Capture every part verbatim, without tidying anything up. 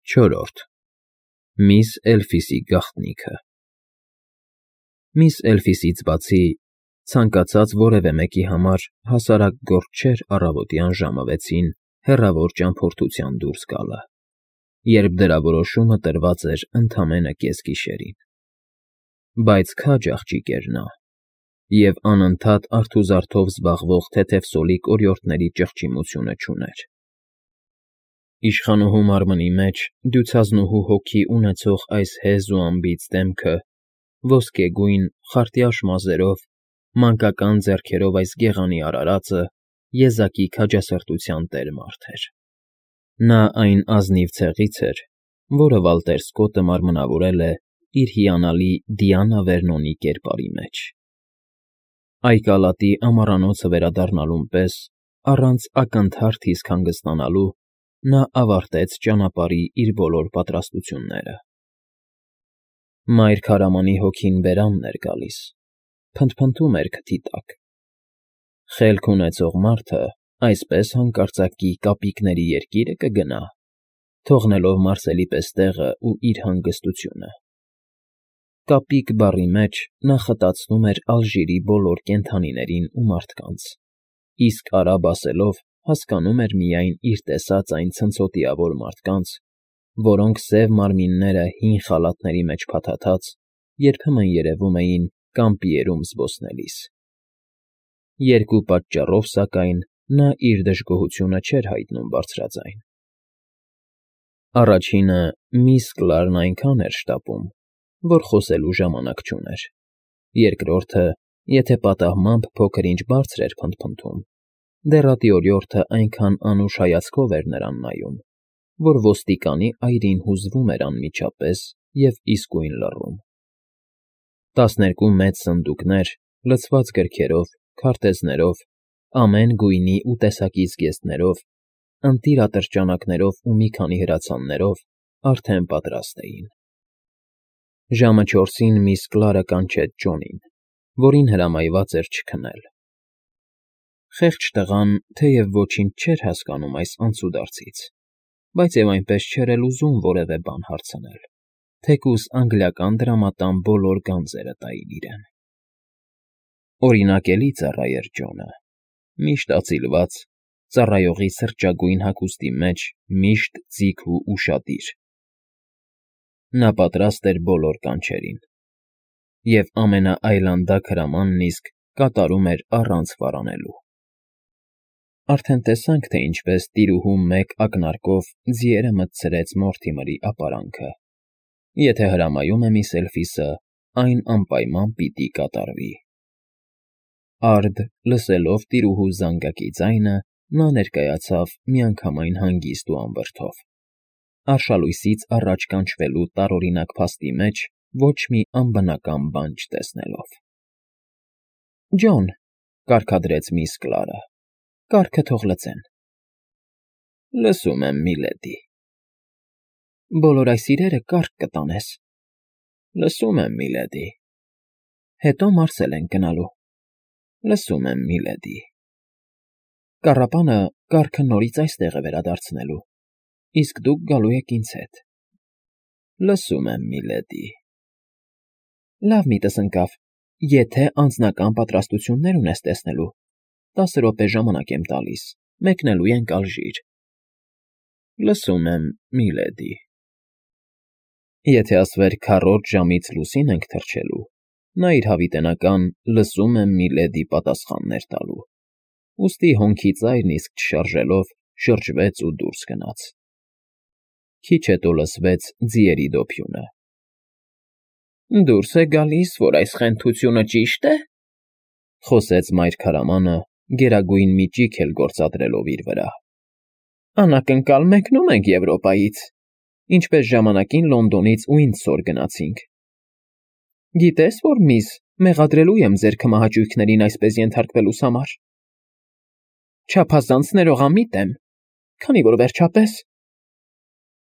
Չորրորդ Միս Էլֆիսի գաղտնիքը Միս Էլֆիսից բացի, ցանկացած որևէ մեկի համար հասարակ գործ չէր առավոտյան ժամը վեցին հեռավոր ճամփորդության դուրս գալը, երբ դրա որոշումը տրված էր ընդամենը կեսգիշերին. բայց քաջ աղջիկ էր նա, և անընդհատ արթուզարդով զբաղվող թեթևսոլիկ օրիորդների ճղճիմությունը չուներ. իշխանուհու մարմնի մեջ դյուցազնուհու հոգի ունեցող այս հեզ ու անբիծ դեմքը, ոսկեգույն, խարտյաշ մազերով, մանկական ձեռքերով այս գեղանի արարածը եզակի քաջասրտության տեր մարդ էր. նա այն ազնիվ ցեղից էր, որը Վալտեր Սկոտը մարմնավորել է իր հիանալի Դիանա Վերնոնի կերպարի մեջ. Այկալատի ամառանոցը վերադառնալուն պես, առանց ակնթարթ իսկ հանգստանալու, նա ավարտեց ճանապարհի իր բոլոր պատրաստությունները. Մայր քարամանի հոգին բերանն էր գալիս, փնթփնթում էր քթի տակ. խելք ունեցող մարդը այսպես հանկարծակի կապիկների երկիրը կգնա, թողնելով Մարսելի պես տեղը ու իր հանգստությունը. կապիկ բառի մեջ նա խտացնում էր Ալժիրի բոլոր կենդանիներին ու մարդկանց, իսկ արաբ ասելով հասկանում էր միայն իր տեսած այն ցնցոտիավոր մարդկանց, որոնք սև մարմինները հին խալաթների մեջ փաթաթած երբեմն երևում էին կամպիերում զբոսնելիս. երկու պատճառով, սակայն, նա իր դժգոհությունը չէր հայտնում բարձրաձայն. առաջինը միս Կլարն այնքան էր շտապում, որ խոսելու ժամանակ չուներ, երկրորդը, եթե պատահմամբ փոքր֊ինչ բարձր էր փնթփնթում, դեռատի օրիորդը այնքան անուշ հայացքով էր նրան նայում, որ ոստիկանի այրին հուզվում էր անմիջապես և իսկույն լռում. տասներկու մեծ սնդուկներ, լցված գրքերով, քարտեզներով, ամեն գույնի ու տեսակի զգեստներով, ընտիր ատրճանակներով ու մի քանի հրացաններով արդեն պատրաստ էին. ժամը չորսին միս Կլարը կանչեց Ջոնին, որին հրամայված էր չքնել. խեղճ տղան թեև ոչինչ չէր հասկանում այս անցուդարձից, բայց և այնպես չէր էլ ուզում որևէ բան հարցնել, թեկուզ անգլիական դրամատան բոլոր գանձերը տային իրեն. օրինակելի ծառա էր Ջոնը, միշտ ածիլված, ծառայողի սրճագույն հագուստի մեջ միշտ ձիգ ու ուշադիր. նա պատրաստ էր բոլոր կանչերին, և ամենաայլանդակ հրամանն իսկ կատարում էր առանց վարանելու. արդեն տեսանք, թե ինչպես տիրուհու մեկ ակնարկով ձիերը մտցրեց Մորթիմերի ապարանքը, եթե հրամայում է միս Էլֆիսը, այն անպայման պիտի կատարվի. Արդ, լսելով տիրուհու զանգակի ձայնը, նա ներկայացավ միանգամայն հանգիստ ու անվրդով, արշալույսից առաջ կանչվելու տարօրինակ փաստի մեջ ոչ մի անբնական բան չտեսնելով։ ֊ Ջոն,֊ կարգադրեց միս Կլարը,֊ կառքը թող լսեն։ ֊ Լսում եմ, միլեդի։ ֊ Բոլոր այս իրերը կառք կտանես։ ֊ Լսում եմ, միլեդի։ ֊ Հետո մարսել ենք գնալու։ ֊ Լսում եմ, միլեդի։ ֊ Կառապանը կառքը նորից այստեղ է վերադարձնելու, իսկ դուք գալու եք ինձ հետ։ ֊ Լսում եմ, միլեդի։ ֊ Լավ միտս ընկավ, եթե անձնական պատրաստություններ ունես տեսնելու, տասը րոպե ժամանակ եմ տալիս, մեկնելու ենք Ալժիր։ ֊ Լսում եմ, միլեդի։ Եթե ասվեր քառորդ ժամից լուսին ենք թռչելու, նա իր հավիտենական «լսում եմ, միլեդի» պատասխանն էր տալու, ուստի հոնքի ծայրն իսկ չշարժելով շրջվեց ու դուրս գնաց. քիչ հետո լսվեց ձիերի դոփյունը. «Դուրս է գալիս, որ այս խենթությունը ճի՞շտ է,֊ խոսեց մայր քարամանը, գերագույն մի ճիգ էլ գործադրելով իր վրա,֊ անակնկալ մեկնում ենք Եվրոպայից, ինչպես ժամանակին Լոնդոնից Ուինդսոր գնացինք։ Գիտես, որ միս, մեղադրելու եմ ձեր քմահաճույքներին այսպես ենթարկվելուս համար։ Չափազանց ներողամիտ եմ, քանի որ վերջապես…»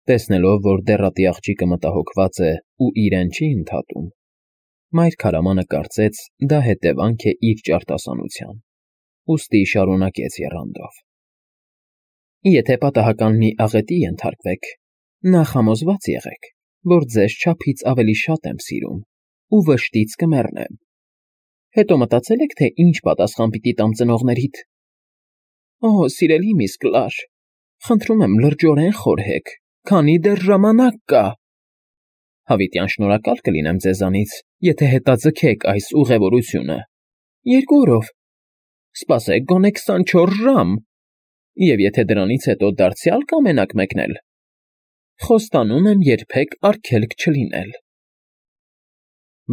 Տեսնելով, որ դեռատի աղջիկը մտահոգված է ու իրեն չի ընդհատում, մայր քարամանը կարծեց դա հետևանք է իր ճարտասանության, ուստի շարունակեց եռանդով. «Եթե պատահական մի աղետի ենթարկվեք, Նախ համոզված եղեք, որ ձեզ չափից ավելի շատ եմ սիրում ու վշտից կմեռնեմ։ Հետո մտածել եք, թե ինչ պատասխան պիտի տամ ծնողներիդ։ Օ, սիրելի միս Կլար, խնդրում եմ լրջորեն խորհեք, քանի դեռ ժամանակ կա։ Հավիտյան շնորհակալ կլինեմ ձեզանից, եթե հետաձգեք այս ուղևորությունը։ Երկու օրով։ Սպասեք գոնե քսանչորս ժամ։ Եվ եթե դրանից հետո դարձյալ կամենաք մեկնել, խոստանում եմ երբեք արգելք չլինել։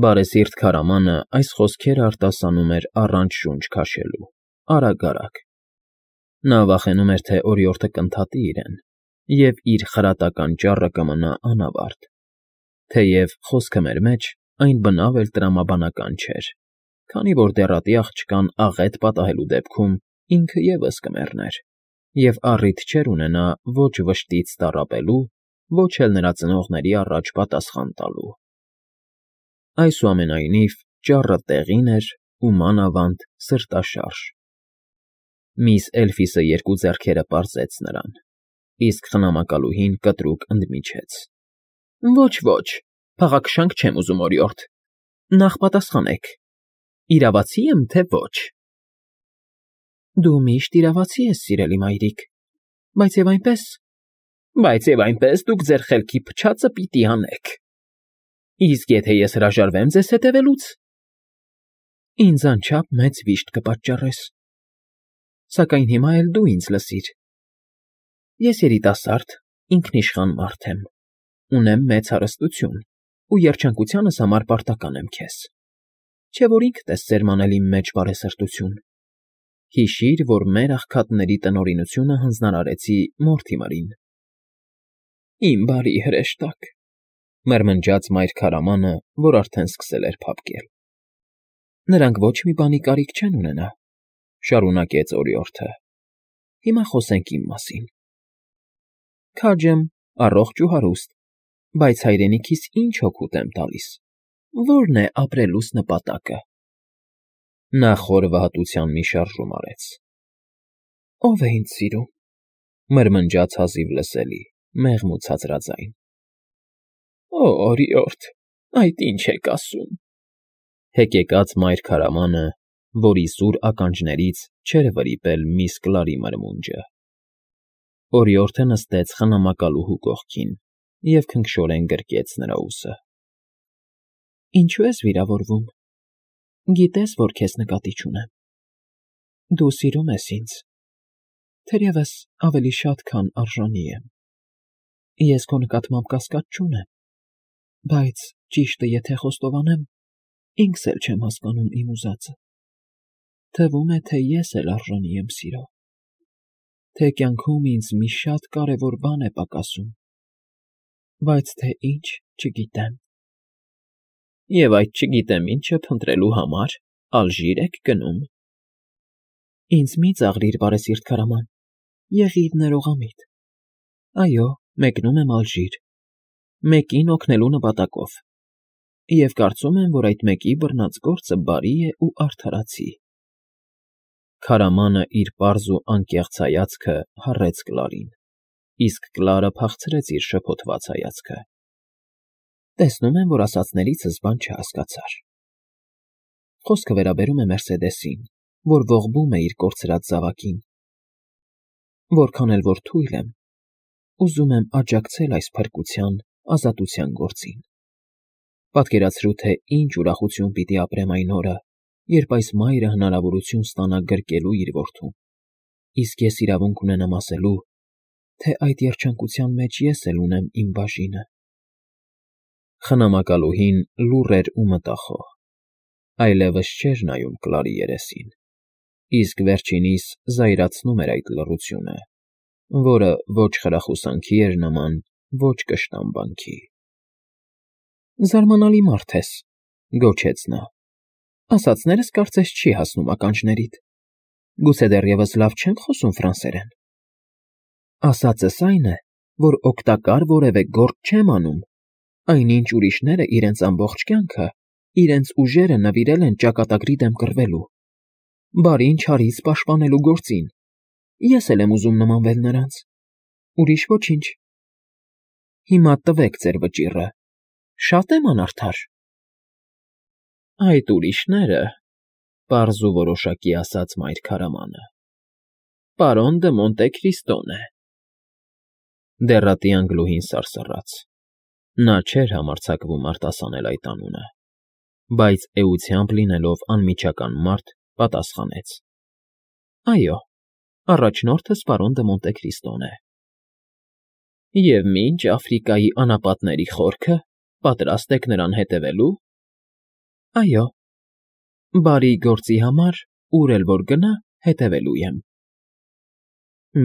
Բարեսիրտ քարամանը այս խոսքերը արտասանում էր առանց շունչ քաշելու, արագ֊արագ։ Նա վախենում էր, թե օրիորդը կընդհատի իրեն, և իր խրատական ճառը կմնա անավարտ, թեև խոսքը մեր մեջ այն բնավ էլ տրամաբանական չէր, քանի որ դեռատի աղջկան աղետ պատահելու դեպքում ինքը ևս կմեռներ, և առիթ չէր ունենա ոչ վշտից տառապելու, ոչ էլ նրա ծնողների առաջ պատասխան տալու։ Այսուամենայնիվ, ճառը տեղին էր ու մանավանդ սրտաշարժ։ Միս Էլֆիսը երկու ձեռքերը պարզեց նրան, իսկ խնամակալուհին կտրուկ ընդմիջեց։ Ոչ, ոչ, փաղաքշանք չեմ ուզում, օրիորդ, նախ պատասխանեք, իրավացի եմ, թե ոչ։ Դու միշտ իրավացի ես, սիրելի մայրիկ, բայց և այնպես, բայց և այնպես դուք ձեր խելքի փչացը պիտի անեք։ Իսկ եթե ես հրաժարվեմ ձեզ հետևելուց, ինձ անչափ մեծ վիշտ կպատճառես, սակայն հիմա էլ դու ինձ լսիր։ Ես երիտասարդ, ինքնիշխան մարդ եմ, ունեմ մեծ հարստություն ու երջանկությանս համար պարտական եմ քեզ, չէ՞ որ ինքդ ես սերմանել իմ մեջ բարեսրտություն։ Հիշիր, որ մեր աղքատների տնօրինությունը հանձնարարեցի Մորթիմերին։ Իմ բարի հրեշտակ, մրմնջաց մայր քարամանը, որ արդեն սկսել էր փափկել։ Նրանք ոչ մի բանի կարիք չեն ունենա, շարունակեց օրիորդը։ Հիմա խոսենք իմ մասին։ Քաջ եմ, առողջ ու հարուստ, բայց հայրենիքիս ինչ օգուտ եմ տալիս, ո՞րն է ապրելուս նպատակը։ Նա խոր վհատության մի շարժում արեց։ Ո՞վ է ինձ սիրում, մրմնջաց հազիվ լսելի, մեղմ ու ցածրաձայն։ Օ, օրիորդ, այդ ինչ եք ասում։ Հեկեկաց մայր քարամանը, որի սուր ականջներից չէր վրիպել միս Կլարի մրմունջը։ Օրիորդը նստեց խնամակալուհու կողքին և քնքշորեն գրկեց նրա ուսը։ Ինչու ես վիրավորվում։ Գիտես, որ քեզ նկատի չունեմ։ Դու սիրում ես ինձ, թերևս ավելի շատ, քան արժանի եմ։ Ես քո նկատմամբ կասկած չունեմ, բայց ճիշտը եթե խոստովանեմ, ինքս էլ չեմ հասկանում իմ ուզածը։ Թվում է, թե ես էլ արժանի եմ սիրո, թե կյանքում ինձ մի շատ կարևոր բան է պակասում, բայց թե ինչ, չգիտեմ։ Եվ այդ չգիտեմ ինչը փնտրելու համար ալժիր եք գնում։ Ինձ մի ծաղրիր, բարեսիրտ քարաման, եղիր ներողամիտ։ Այո, մեկնում եմ ալժիր, մեկին օգնելու նպատակով, և կարծում եմ, որ այդ մեկի բռնած գործը բարի է ու արդարացի։ Քարամանը իր պարզ ու անկեղծ հայացքը հառեց Կլարին, իսկ Կլարը փախցրեց իր շփոթված հայացքը։ Տեսնում եմ, որ ասածներիցս բան չհասկացար։ Խոսքը վերաբերում է Մերսեդեսին, որ ողբում է իր կորցրած զավակին։ Որքան էլ որ թույլ եմ, ուզում եմ աջակցել այս փրկության, ազատության գործին։ Պատկերացրու, թե ինչ ուրախություն պիտի ապրեմ այն օրը, երբ այս մայրը հնարավորություն ստանա գրկելու իր որդուն, իսկ ես իրավունք ունենամ ասելու, թե այդ երջանկության մեջ ես էլ ունեմ իմ բաժինը։ Խնամակալուհին լուռ էր ու մտախոհ, այլևս չէր նայում Կլարի երեսին, իսկ վերջինիս զայրացնում էր այդ լռությունը, որը ոչ խրախուսանքի էր նման, ոչ կշտամբանքի։ Զարմանալի մարդ ես, գոչեց նա, ասածներս կարծես չի հասնում ականջներիդ, գուցե դեռևս լավ չեմ խոսում ֆրանսերեն։ Ասածս այն է, որ օգտակար որևէ գործ չեմ անում, այնինչ ուրիշները իրենց ամբողջ կյանքը, իրենց ուժերը նվիրել են ճակատագրի դեմ կռվելու, բարին չարից պաշտպանելու գործին, ես էլ եմ ուզում նմանվել նրանց, ուրիշ ոչինչ։ Հիմա տվեք ձեր վճիռը, շա՞տ եմ անարդար։ ֊ Այդ ուրիշները, ֊ պարզ ու որոշակի ասաց մայր քարամանը, ֊ պարոն դը Մոնտե Քրիստոն է։ Դեռատի Անգլուհին սարսռաց. նա չէր համարձակվում արտասանել այդ անունը, բայց էությամբ լինելով անմիջական մարդ, պատասխանեց. ֊ Այո, առաջնորդս պարոն դը Մոնտե Քրիստոն է։ ֊ Եվ մինչ Աֆրիկայի անապատների խորքը, պատրաստ եք նրան հետևելու։ ֊ Այո, բարի գործի համար, ուր էլ որ գնա, հետևելու եմ։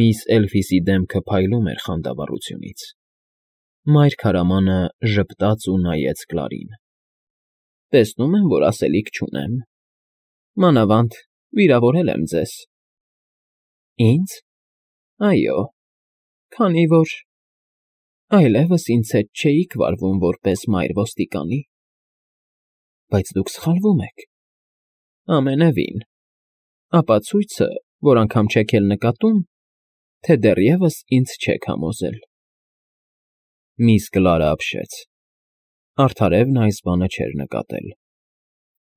Միս Էլֆիսի դեմքը փայլում էր խանդավառությունից։ Մայր քարամանը ժպտաց ու նայեց Կլարին։ ֊ Տեսնում եմ, որ ասելիք չունեմ, մանավանդ վիրավորել եմ ձեզ։ ֊ Ի՞նձ։ ֊ Այո, քանի որ… այլևս ինձ հետ չէիք վարվում որպես մայր ոստիկանի։ ֊ Բայց դուք սխալվում եք։ ֊ Ամենևին… Ապացույցը, որ անգամ չեք էլ նկատում, թե դեռևս ինձ չեք համոզել։ Միս Կլարը ապշեց. արդարև նա այս բանը չէր նկատել,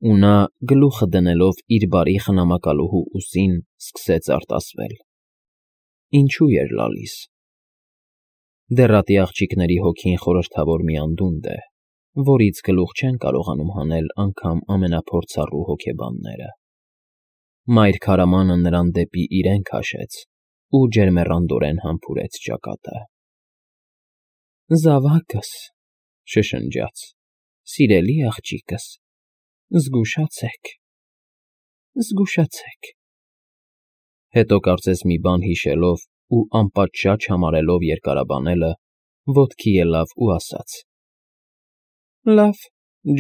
ու նա, գլուխը դնելով իր բարի խնամակալուհու ուսին, սկսեց արտասվել. ինչու էր լալիս։ Դեռատի աղջիկների հոգին խորհրդավոր մի անդունդ է, որից գլուխ չեն կարողանում հանել անգամ ամենափորձառու հոգեբանները։ Մայր քարամանը նրան դեպի իրեն քաշեց ու ջերմեռանդորեն համբուրեց ճակատը։ ֊ Զավակս, ֊ շշնջաց, ֊ սիրելի աղջիկս, զգուշացեք, զգուշացեք… Հետո կարծես մի բան հիշելով ու անպատշաճ համարելով երկարաբանելը, ոտքի ելավ ու ասաց. ֊ Լավ,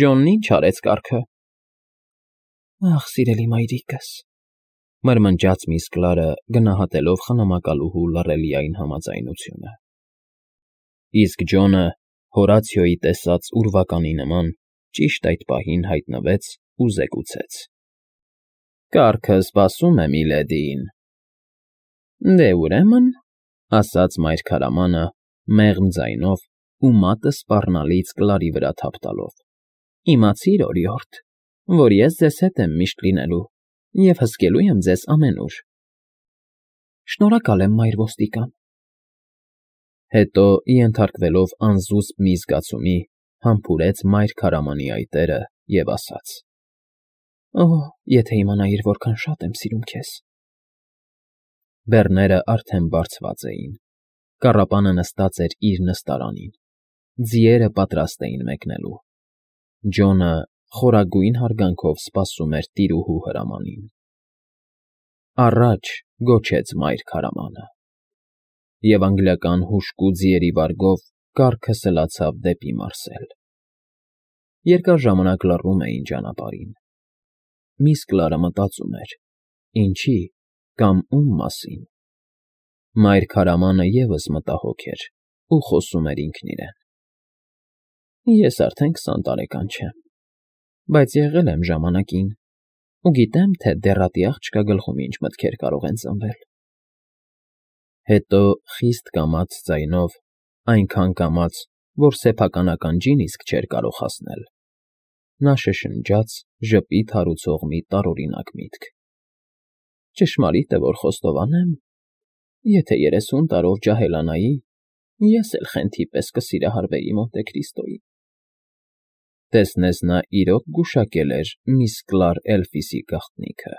Ջոնն ի՞նչ արեց կառքը։ ֊ Ախ, սիրելի մայրիկս, ֊ մրմնջաց միս Կլարը, գնահատելով խնամակալուհու լռելիային համաձայնությունը։ Իսկ Ջոնը, Հորացիոյի տեսած ուրվականի նման, ճիշտ այդ պահին հայտնվեց ու զեկուցեց. ֊ Կառքը սպասում է միլեդիին։ ֊ Դե, ուրեմն, ֊ ասաց մայր քարամանը, մեղմ ձայնով ու մատը սպառնալից Կլարի վրա թափ տալով, ֊ իմացիր, օրիորդ, որ ես ձեզ հետ եմ միշտ լինելու և հսկելու եմ ձեզ ամենուր։ ֊ Շնորհակալ եմ, մայր ոստիկան։ Հետո, ենթարկվելով անզուսպ մի զգացումի, համբուրեց մայր քարամանի այտերը և ասաց. ֊ Օ՜, եթե իմանայիր որքան շատ եմ սիրում քեզ… Բեռները արդեն բարձված էին, կառապանը նստած էր իր նստարանին, ձիերը պատրաստ էին մեկնելու, Ջոնը խորագույն հարգանքով սպասում էր տիրուհու հրամանին։ ֊ Առաջ, ֊ գոչեց մայր քարամանը, և անգլիական հուժկու ձիերի վարգով կառքը սլացավ դեպի մարսել։ Երկար ժամանակ լռում էին ճանապարհին։ Միս Կլարը մտածում էր. ինչի կամ ում մասին։ Մայր քարամանը ևս մտահոգ էր ու խոսում էր ինքն իրեն. Ես արդեն քսան տարեկան չեմ, բայց եղել եմ ժամանակին ու գիտեմ, թե դեռատի աղջկա գլխում ինչ մտքեր կարող են ծնվել։ Հետո խիստ կամաց ձայնով, այնքան կամաց, որ սեփական ջին իսկ չէր կարող հասնել, նա շշնջաց ժպիտ հարուցող մի տարօրինակ միտք. Ճշմարիտ է, որ խոստովանեմ, եթե երեսուն տարով ջահելանայի, ես էլ խենթի պես կսիրահարվեի Մոնտե Քրիստոյին։ Տեսնես նա իրոք գուշակել էր միս Կլար Էլֆիսի գաղտնիքը։